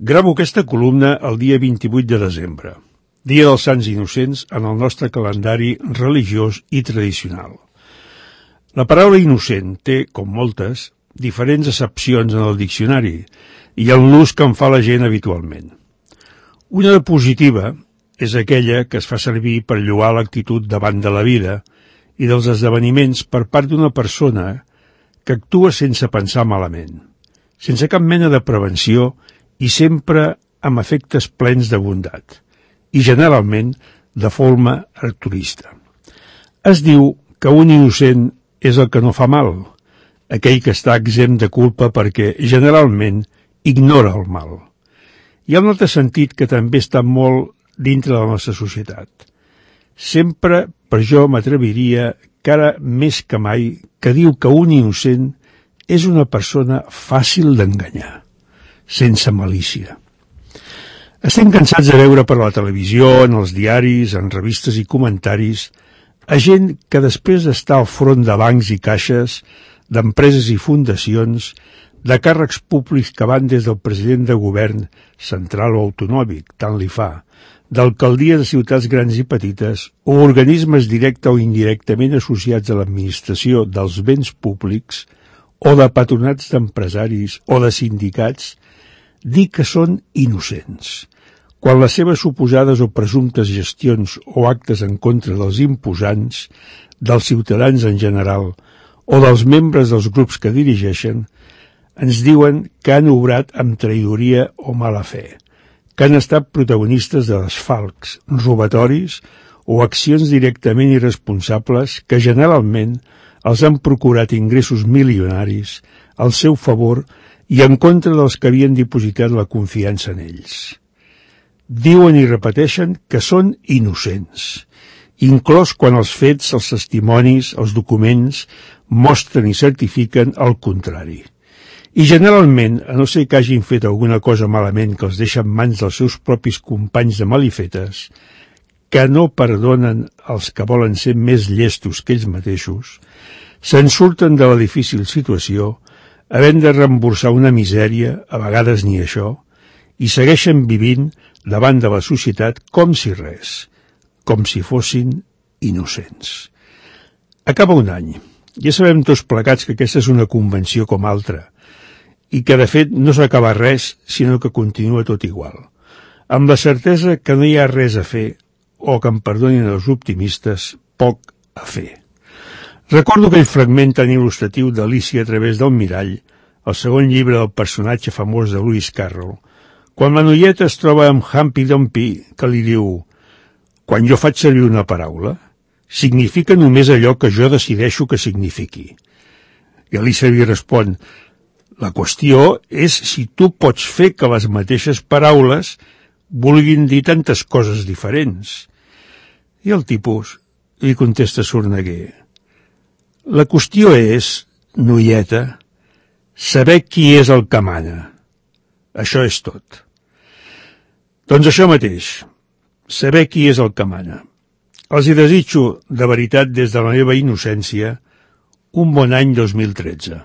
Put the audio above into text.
Gravo aquesta columna el dia 28 de desembre, dia dels Sants Innocents en el nostre calendari religiós i tradicional. La paraula innocent té, com moltes, diferents accepcions en el diccionari i en l'ús que en fa la gent habitualment. Una de positiva és aquella que es fa servir per lloar l'actitud davant de la vida i dels esdeveniments per part d'una persona que actua sense pensar malament, sense cap mena de prevenció i sempre amb efectes plens de bondat, i generalment de forma altruista. Es diu que un innocent és el que no fa mal, aquell que està exempt de culpa perquè generalment ignora el mal. Hi ha un altre sentit que també està molt dintre de la nostra societat. Sempre, per jo m'atreviria, que ara més que mai, que diu que un innocent és una persona fàcil d'enganyar, sense malícia. Estem cansats de veure per la televisió, en els diaris, en revistes i comentaris, a gent que després d'estar al front de bancs i caixes, d'empreses i fundacions, de càrrecs públics que van des del president de govern, central o autonòmic, tant li fa, d'alcaldies de ciutats grans i petites, o organismes directe o indirectament associats a l'administració dels béns públics, o de patronats d'empresaris o de sindicats, dir que són innocents, quan les seves suposades o presumptes gestions o actes en contra dels imposants, dels ciutadans en general o dels membres dels grups que dirigeixen, ens diuen que han obrat amb traïdoria o mala fe, que han estat protagonistes de desfalcs, robatoris o accions directament irresponsables que generalment els han procurat ingressos milionaris al seu favor i en contra dels que havien dipositat la confiança en ells. Diuen i repeteixen que són innocents, inclòs quan els fets, els testimonis, els documents mostren i certifiquen el contrari. I generalment, a no ser que hagin fet alguna cosa malament que els deixa en mans dels seus propis companys de malifetes, que no perdonen els que volen ser més llestos que ells mateixos, se'n surten de la difícil situació, havent de reemborsar una misèria, a vegades ni això, i segueixen vivint davant de la societat com si res, com si fossin innocents. Acaba un any. Ja sabem tots plegats que aquesta és una convenció com altra, i que de fet no s'acaba res, sinó que continua tot igual, amb la certesa que no hi ha res a fer, o que em perdonin els optimistes, poc a fer. Recordo aquell fragment tan il·lustratiu d'Alícia a través del mirall, el segon llibre del personatge famós de Lewis Carroll, quan la noieta es troba amb Humpty Dumpty, que li diu: «Quan jo faig servir una paraula, significa només allò que jo decideixo que signifiqui». I Alícia li respon: «La qüestió és si tu pots fer que les mateixes paraules vulguin dir tantes coses diferents». I el tipus li contesta sorneguer: «La qüestió és, noieta, saber qui és el que mana. Això és tot». Doncs això mateix, saber qui és el que mana. Els hi desitjo, de veritat des de la meva innocència, un bon any 2013.